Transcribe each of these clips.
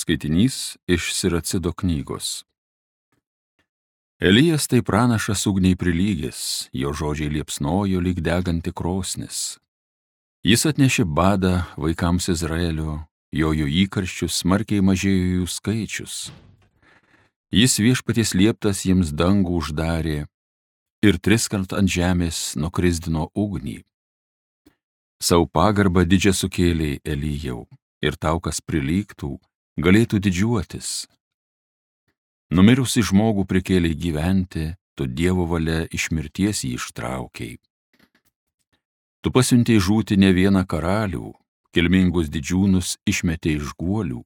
Skaitinys iš Siracido knygos. Elijas tai pranašas ugniai prilygęs, jo žodžiai liepsnojo lyg deganti krosnis. Jis atnešė badą vaikams Izraelio, jo įkarščius smarkiai mažėjo jų skaičius. Jis viešpaties lieptas jiems dangų uždarė ir 3 kart ant žemės nukrisdino ugnį. Sau pagarbą didžią sukėlė Elijau, ir tau, kas prilygtų, galėtų didžiuotis. Numirusi žmogų prikėlė gyventi, tu Dievo valia iš mirties jį ištraukei. Tu pasiuntei žūti ne vieną karalių, kilmingus didžiūnus išmetei iš guolių.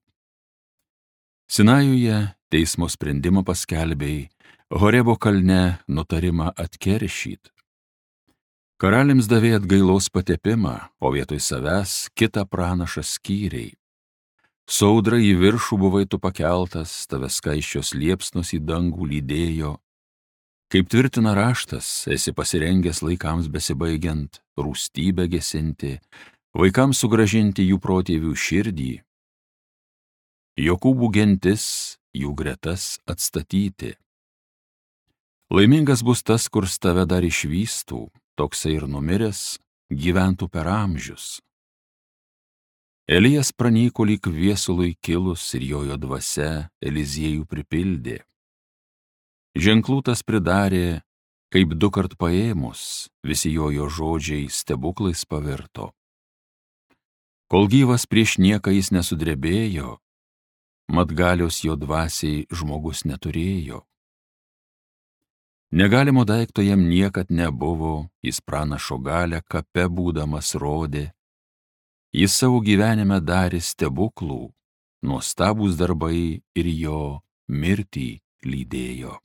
Sinajuje teismo sprendimą paskelbei, Horebo kalne nutarimą atkeršyt. Karaliams davė atgailos patepimą, o vietoj savęs kitą pranašą skyrei. Su audra į viršų buvai tu pakeltas, tave skaisčios liepsnos į dangų lydėjo. Kaip tvirtina raštas, esi pasirengęs laikams besibaigiant, rūstybę gesinti, vaikams sugrąžinti jų protėvių širdį. Jokūbų gentis, jų gretas atstatyti. Laimingas bus tas, kurs tave dar išvystų, toksai ir numiręs, gyventų per amžius. Elijas pranyko lyg viesului kilus ir jojo dvasia Eliziejų pripildė. Ženklų tas pridarė, kaip 2 kart paėmus, visi jojo žodžiai stebuklais pavirto. Kol gyvas prieš nieką jis nesudrebėjo, mat galios jo dvasiai žmogus neturėjo. Negalimo daikto jam niekad nebuvo, jis pranašo galią kape būdamas rodė. Jis savo gyvenime darė stebuklų, nuostabūs darbai ir jo mirtį lydėjo.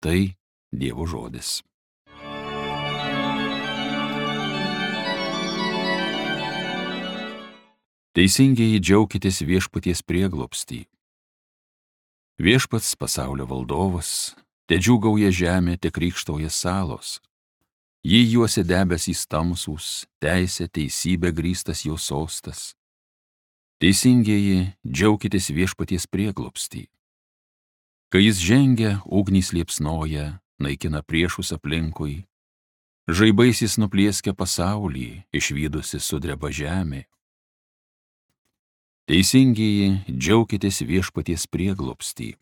Tai Dievo žodis. Teisingieji, džiaukitės viešpaties prieglobstį. Viešpats pasaulio valdovas, te džiūgauja žemė, te krykštauja salos. Jį juosia debesys tamsūs, teisė, teisybė grįstas jo sostas. Teisingieji, džiaukitės viešpaties prieglobstį. Kai jis žengia, ugnys liepsnoja, naikina priešus aplinkui. Žaibais jis nuplieskia pasaulį, išvydusi sudreba žemė. Teisingieji, džiaukitės viešpaties prieglobstį.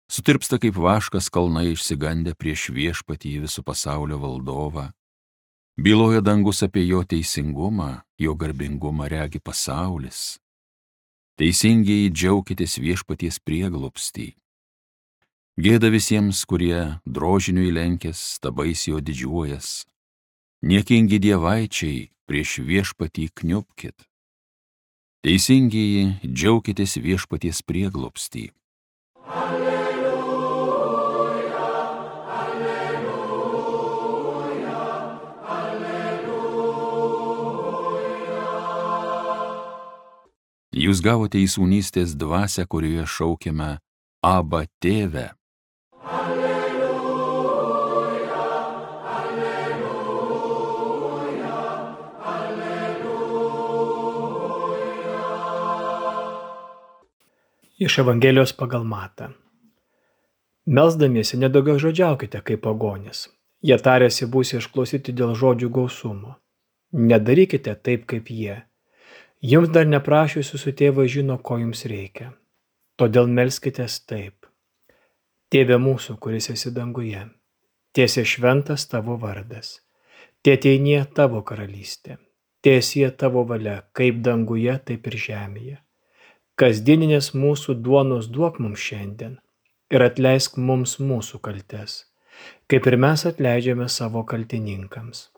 Sutirpsta kaip vaškas kalnai išsigandę prieš viešpatį visų pasaulio valdovą. Byloja dangus apie jo teisingumą, jo garbingumą regi pasaulis. Teisingieji, džiaukitės viešpaties prieglobstį. Gėda visiems, kurie drožiniui lenkės, stabais jo didžiuojas. Niekingi dievaičiai, prieš viešpatį kniubkit. Teisingieji, džiaukitės viešpaties prieglobstį. Jūs gavote į sūnystės dvasią, kurioje šaukiame Abba tėve. Alleluja, alleluja, alleluja. Iš Evangelijos pagal Matą. Melsdamiesi nedaugiažodžiaukite kaip pagonys. Jie tariasi būsi išklausyti dėl žodžių gausumo. Nedarykite taip kaip jie. Jums dar neprašiusi su tėvas žino, ko jums reikia. Todėl melskitės taip. Tėve mūsų, kuris esi danguje, tiesie šventas tavo vardas. Teateinie tavo karalystė. Tiesie tavo valia, kaip danguje, taip ir žemėje. Kasdieninės mūsų duonos duok mums šiandien ir atleisk mums mūsų kaltes, kaip ir mes atleidžiame savo kaltininkams.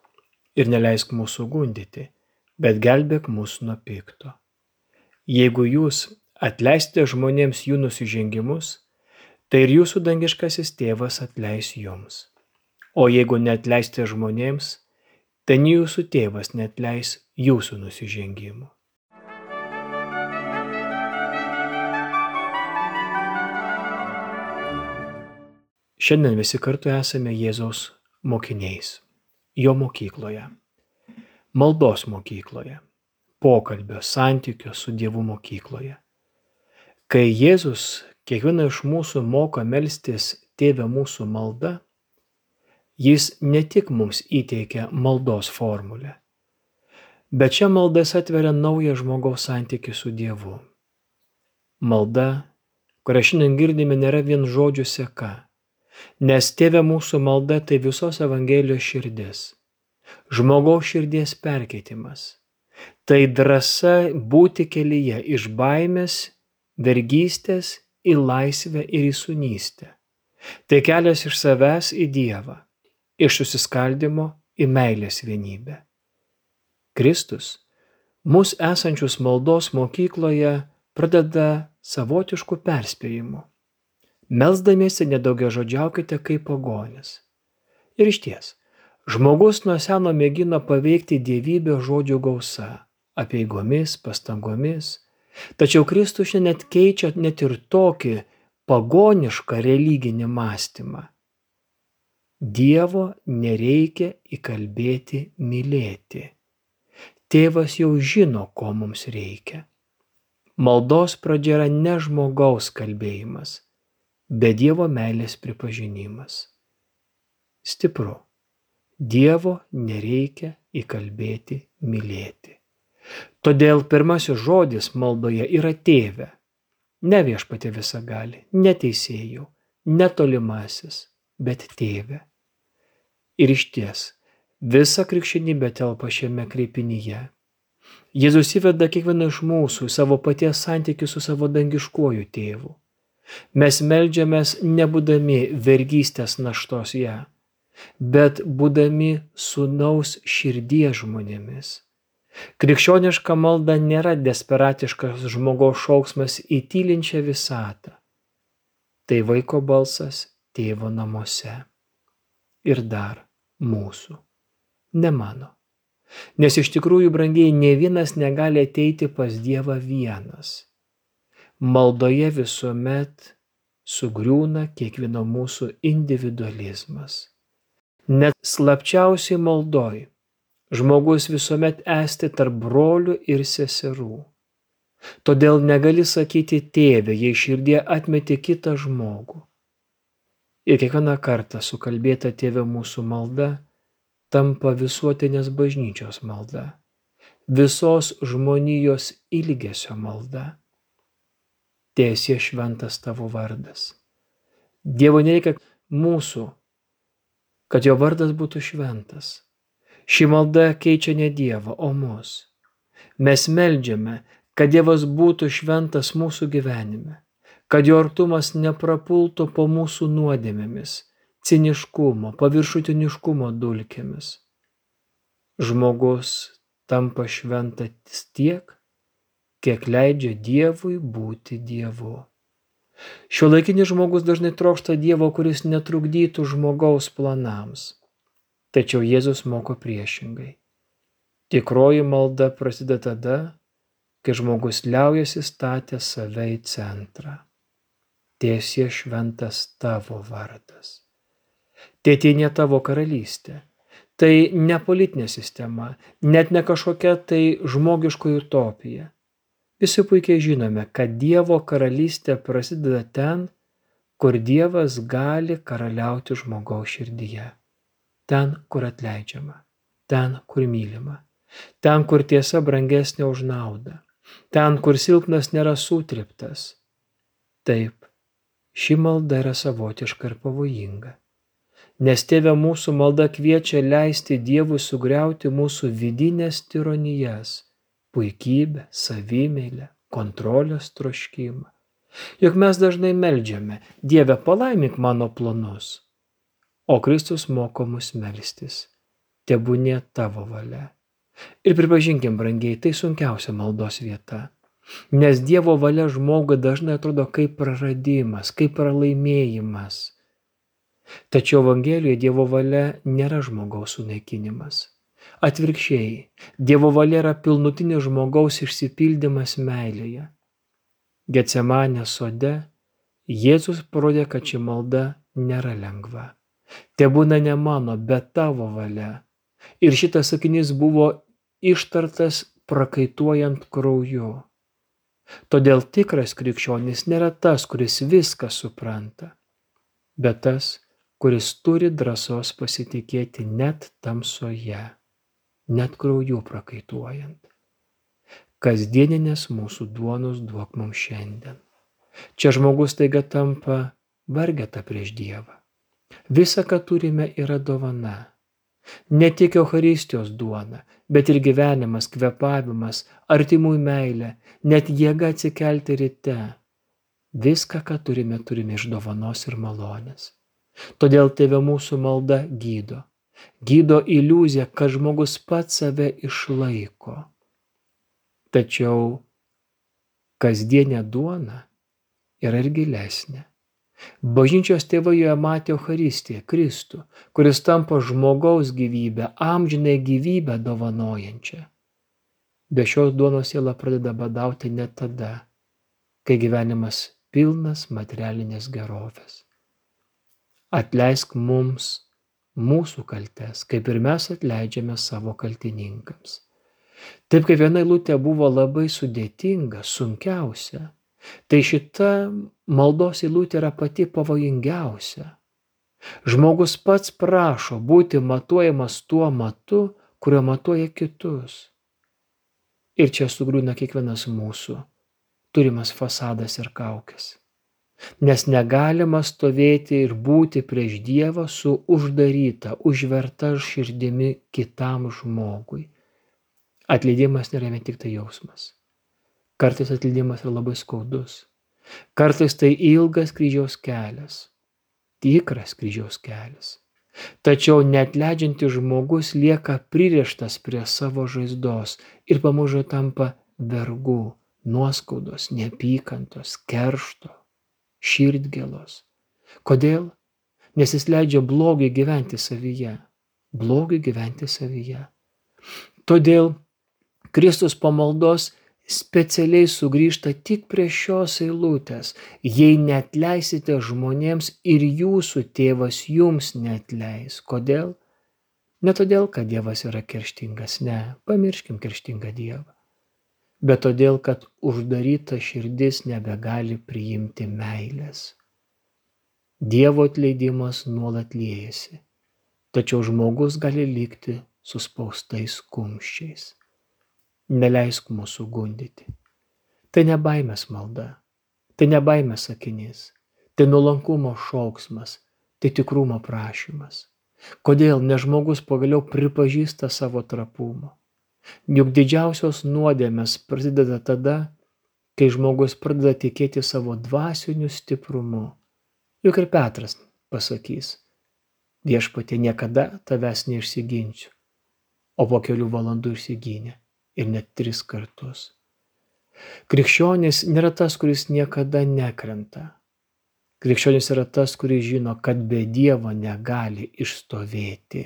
Ir neleisk mūsų gundyti, bet gelbėk mus nuo pikto. Jeigu jūs atleisite žmonėms jų nusižengimus, tai ir jūsų dangiškasis tėvas atleis jums. O jeigu neatleisite žmonėms, tai nei jūsų tėvas neatleis jūsų nusižengimų. Šiandien visi kartu esame Jėzaus mokiniais, jo mokykloje. Maldos mokykloje, pokalbio, santykio su Dievu mokykloje. Kai Jėzus kiekvieną iš mūsų moko melstis Tėve mūsų malda, jis ne tik mums įteikia maldos formulę, bet šia malda jis atveria naują žmogaus santykį su Dievu. Malda, kurią šiandien girdime, nėra vien žodžių seka, nes Tėve mūsų malda tai visos Evangelijos širdis, žmogaus širdies perkeitimas. Tai drąsa būti kelyje iš baimės, vergystės į laisvę ir į sūnystę. Tai kelias iš savęs į Dievą, iš susiskaldimo į meilės vienybę. Kristus, mus esančius maldos mokykloje, pradeda savotiškų perspėjimų. Melsdamiesi nedaugiažodžiaukite kaip pagonis. Ir išties, žmogus nuo seno mėgino paveikti dievybę žodžių gausa, apeigomis, pastangomis, tačiau Kristus šiandien keičia net ir tokį pagonišką religinį mąstymą. Dievo nereikia įkalbėti mylėti. Tėvas jau žino, ko mums reikia. Maldos pradžia yra ne žmogaus kalbėjimas, bet Dievo meilės pripažinimas. Stipru. Dievo nereikia įkalbėti mylėti. Todėl pirmasis žodis maldoje yra Tėve. Ne Viešpatie visagali, ne Teisėjau, ne Tolimasis, bet Tėve. Ir išties, visa krikščionybė telpa šiame kreipinyje. Jėzus įveda kiekvieną iš mūsų savo paties santykių su savo dangiškuoju Tėvu. Mes meldžiamės nebūdami vergystės naštos ją, bet būdami sūnaus širdies žmonėmis. Krikščioniška malda nėra desperatiškas žmogaus šauksmas į tylinčią visatą. Tai vaiko balsas Tėvo namuose. Ir dar mūsų, ne mano. Nes iš tikrųjų, brangiai, nė vienas negali ateiti pas Dievą vienas. Maldoje visuomet sugriūna kiekvieno mūsų individualizmas. Net slapčiausiai maldoj žmogus visuomet esti tarp brolių ir seserų. Todėl negali sakyti Tėve, jei širdie atmeti kitą žmogų. Ir kiekvieną kartą sukalbėta Tėve mūsų malda tampa visuotinės bažnyčios malda, visos žmonijos ilgesio malda. Teesie šventas tavo vardas. Dievo nereikia mūsų, kad jo vardas būtų šventas. Ši malda keičia ne Dievą, o mus. Mes meldžiame, kad Dievas būtų šventas mūsų gyvenime, kad jo artumas neprapultų po mūsų nuodėmėmis, ciniškumo, paviršutiniškumo dulkėmis. Žmogus tampa šventas tiek, kiek leidžia Dievui būti Dievu. Šiuolaikinis žmogus dažnai trokšta Dievo, kuris netrukdytų žmogaus planams. Tačiau Jėzus moko priešingai. Tikroji malda prasideda tada, kai žmogus liaujasi statęs save į centrą. Teesie šventas tavo vardas. Teateinie tavo karalystė. Tai ne politinė sistema, net ne kažkokia tai žmogiškoji utopija. Visi puikiai žinome, kad Dievo karalystė prasideda ten, kur Dievas gali karaliauti žmogaus širdyje. Ten, kur atleidžiama, ten, kur mylima, ten, kur tiesa brangesnė už naudą, ten, kur silpnas nėra sutriptas. Taip, ši malda yra savotiška ir pavojinga, nes Tėve mūsų malda kviečia leisti Dievui sugriauti mūsų vidinės tironijas, puikybę, savimeilę, kontrolės troškimą. Juk mes dažnai meldžiame, Dieve, palaimink mano planus. O Kristus moko mus melstis, tebūnie tavo valia. Ir pripažinkim, brangiai, tai sunkiausia maldos vieta, nes Dievo valia žmogui dažnai atrodo kaip praradimas, kaip pralaimėjimas. Tačiau Evangelijoje Dievo valia nėra žmogaus sunaikinimas. Atvirkščiai, Dievo valia yra pilnutinis žmogaus išsipildymas meilėje. Getsemanės sode Jėzus parodė, kad ši malda nėra lengva. Tebūna ne mano, bet tavo valia. Ir šitas sakinys buvo ištartas prakaituojant krauju. Todėl tikras krikščionis nėra tas, kuris viską supranta, bet tas, kuris turi drąsos pasitikėti net tamsoje, net krauju prakaituojant. Kasdieninės mūsų duonos duok mums šiandien. Čia žmogus taiga tampa vargeta prieš Dievą. Visa, ką turime, yra dovana. Ne tik Eucharistijos duona, bet ir gyvenimas, kvėpavimas, artimųjų meilė, net jėga atsikelti ryte. Viską, ką turime, turime iš dovanos ir malonės. Todėl Tėve mūsų malda gydo. Gydo iliuziją, kad žmogus pats save išlaiko. Tačiau kasdienė duona yra ir gilesnė. Bažnyčios tėvai joje matė Eucharistiją, Kristų, kuris tampa žmogaus gyvybę, amžinąją gyvybę dovanojančią. Be šios duonos siela pradeda badauti net tada, kai gyvenimas pilnas materialinės gerovės. Atleisk mums mūsų kaltes, kaip ir mes atleidžiame savo kaltininkams. Taip kaip viena eilutė buvo labai sudėtinga, sunkiausia, tai šita maldos eilutė yra pati pavojingiausia. Žmogus pats prašo būti matuojamas tuo matu, kurio matuoja kitus. Ir čia sugriūna kiekvienas mūsų turimas fasadas ir kaukės. Nes negalima stovėti ir būti prieš Dievą su uždaryta, užverta širdimi kitam žmogui. Atleidimas nėra vien tik tai jausmas. Kartais atleidimas yra labai skaudus. Kartais tai ilgas kryžiaus kelias. Tikras kryžiaus kelias. Tačiau neatleidžiantis žmogus lieka pririštas prie savo žaizdos ir pamažu tampa vergu, nuoskaudos, neapykantos, keršto, širdgėlos. Kodėl? Nes jis leidžia blogiui gyventi savyje. Blogiui gyventi savyje. Todėl Kristus po maldos specialiai sugrįžta tik prie šios eilutės. Jei neatleisite žmonėms, ir jūsų tėvas jums neatleis. Kodėl? Ne todėl, kad Dievas yra kerštingas, ne, pamirškim kerštingą Dievą. Bet todėl, kad uždaryta širdis nebegali priimti meilės. Dievo atleidimas nuolat liejasi, tačiau žmogus gali likti suspaustais kumščiais. Neleisk mūsų gundyti. Tai ne baimės malda, tai ne baimės sakinys, tai nuolankumo šauksmas, tai tikrumo prašymas. Kodėl? Nes žmogus pagaliau pripažįsta savo trapumą. Juk didžiausios nuodėmės prasideda tada, kai žmogus pradeda tikėti savo dvasiniu stiprumu. Juk ir Petras pasakys: Viešpatie, niekada tavęs neišsiginsiu. O po kelių valandų išsigynė. Ir net 3 kartus. Krikščionis nėra tas, kuris niekada nekrenta. Krikščionis yra tas, kuris žino, kad be Dievo negali išstovėti.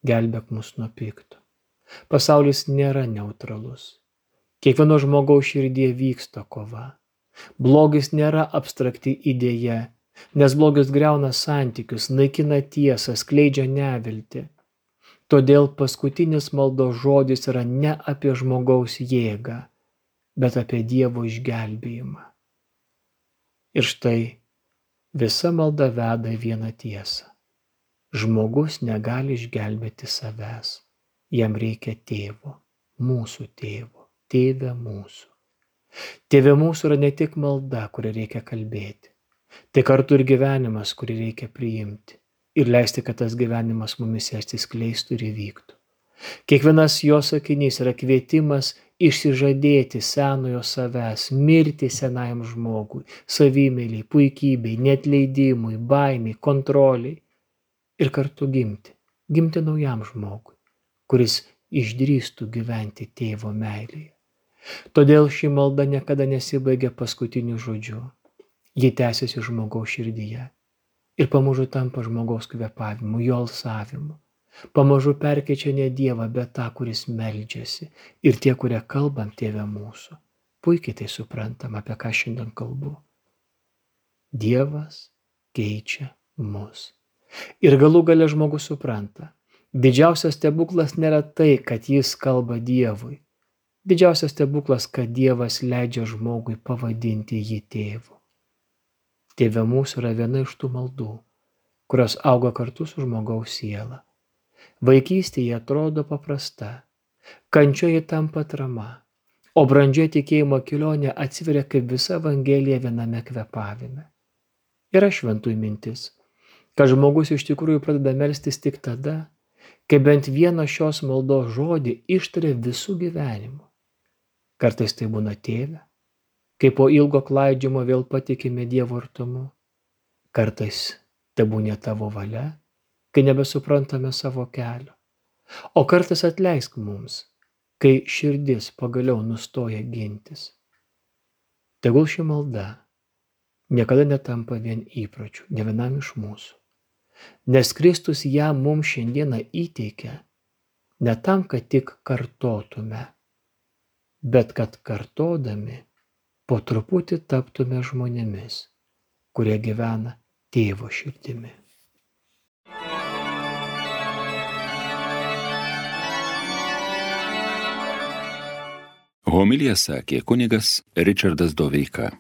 Gelbėk mus nuo pikto. Pasaulis nėra neutralus. Kiekvieno žmogaus širdyje vyksta kova. Blogis nėra abstrakti idėja, nes blogis griauna santykius, naikina tiesą, skleidžia neviltį. Todėl paskutinis maldos žodis yra ne apie žmogaus jėgą, bet apie Dievo išgelbėjimą. Ir štai visa malda veda į vieną tiesą. Žmogus negali išgelbėti savęs. Jam reikia tėvo, mūsų tėvo, tėve mūsų. Tėve mūsų yra ne tik malda, kurią reikia kalbėti. Tai kartu ir gyvenimas, kurį reikia priimti. Ir leisti, kad tas gyvenimas mumis atsiskleistų ir įvyktų. Kiekvienas jo sakinys yra kvietimas išsižadėti senojo savęs, mirti senajam žmogui, savimyliai, puikybei, neatleidimui, baimiai, kontroliai ir kartu gimti naujam žmogui, kuris išdrįstų gyventi tėvo meilėje. Todėl ši malda niekada nesibaigia paskutiniu žodžiu. Ji tęsiasi žmogaus širdyje. Ir pamažu tampa žmogaus kvėpavimu, jo alsavimu. Pamažu perkeičia ne Dievą, bet tą, kuris meldžiasi. Ir tie, kurie kalbam Tėve mūsų, puikiai tai suprantam, apie ką šiandien kalbu. Dievas keičia mus. Ir galų gale žmogus supranta. Didžiausias stebuklas nėra tai, kad jis kalba Dievui, Didžiausias stebuklas, kad Dievas leidžia žmogui pavadinti jį tėvu. Tėve mūsų yra viena iš tų maldų, kurios auga kartu su žmogaus siela. Vaikystėje atrodo paprasta, kančioje tampa atrama, o brandžioje tikėjimo kelionė atsiveria kaip visa Evangelija viename kvėpavime. Yra šventųjų mintis, kad žmogus iš tikrųjų pradeda melstis tik tada, kai bent vieną šios maldos žodį ištaria visų gyvenimu. Kartais tai būna tėve, kai po ilgo klaidžiamo vėl patikime Dievo artumu. Kartais tai būna tavo valia, kai nebesuprantame savo kelio. O kartais atleisk mums, kai širdis pagaliau nustoja gintis. Tegul ši malda niekada netampa vien įpročiu, ne vienam iš mūsų. Nes Kristus ją mums šiandieną įteikia ne tam, kad tik kartotume, bet kad kartodami po truputį taptume žmonėmis, kurie gyvena Tėvo širdimi. Homiliją sakė kunigas Ričardas Doveika.